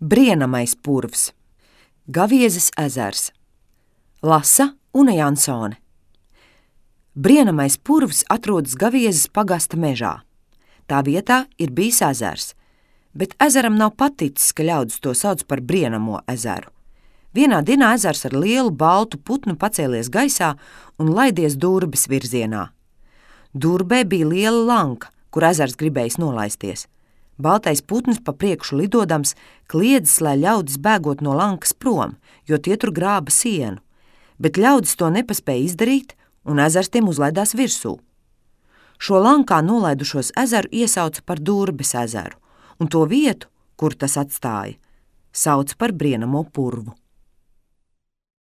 Brienamais purvs, Gaviezes ezers, lasa Une Jansone. Brienamais purvs atrodas Gaviezes pagasta mežā. Tā vietā ir bijis ezers, bet ezeram nav paticis, ka ļaudis to sauc par Brienamo ezeru. Vienā dienā ezers ar lielu baltu putnu pacēlies gaisā un laidies Durbes virzienā. Durbē bija liela lanka, kur ezers gribējis nolaisties. Baltais putns pa priekšu lidodams kliedzis, lai ļaudis bēgot no lankas prom, jo tie tur grāba sienu. Bet ļaudis to nepaspēja izdarīt, un ezers tiem uzlaidās virsū. Šo lankā nolaidušos ezeru iesauca par Durbes ezeru, un to vietu, kur tas atstāja, sauca par Brienamo purvu.